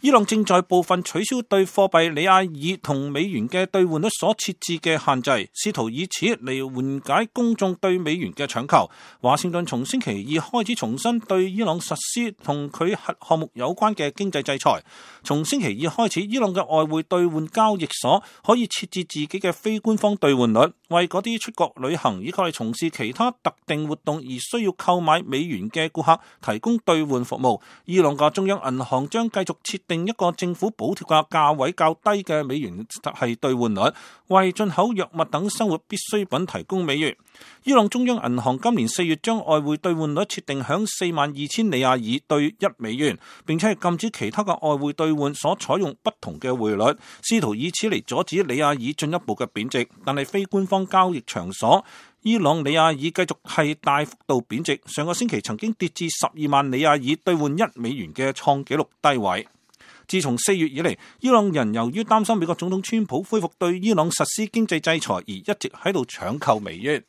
伊朗正在部分取消對貨幣里亞爾同美元嘅兌換率所設置嘅限制，試圖以此嚟緩解公眾對美元嘅搶購。華盛頓從星期二開始重新對伊朗實施同佢核項目有關嘅經濟制裁。從星期二開始，伊朗嘅外匯兌換交易所可以設置自己嘅非官方兌換率，為嗰啲出國旅行以及係從事其他特定活動而需要購買美元嘅顧客提供兌換服務。伊朗嘅中央銀行將繼續設定一個政府補貼嘅價位較低嘅美元係兌換率，為進口藥物等生活必需品提供美元。伊朗中央銀行今年4月將外匯兌換率設定響42,000里亞爾兌1美元，並且係禁止其他嘅外匯兌換所採用不同嘅匯率，試圖以此嚟阻止里亞爾進一步嘅貶值。但係非官方交易場所伊朗里亞爾繼續係大幅度貶值，上個星期曾經跌至12萬里亞爾兌換1美元嘅創紀錄低位。自從4月以嚟，伊朗人由於擔心美國總統川普恢復對伊朗實施經濟制裁而一直喺度搶購美元。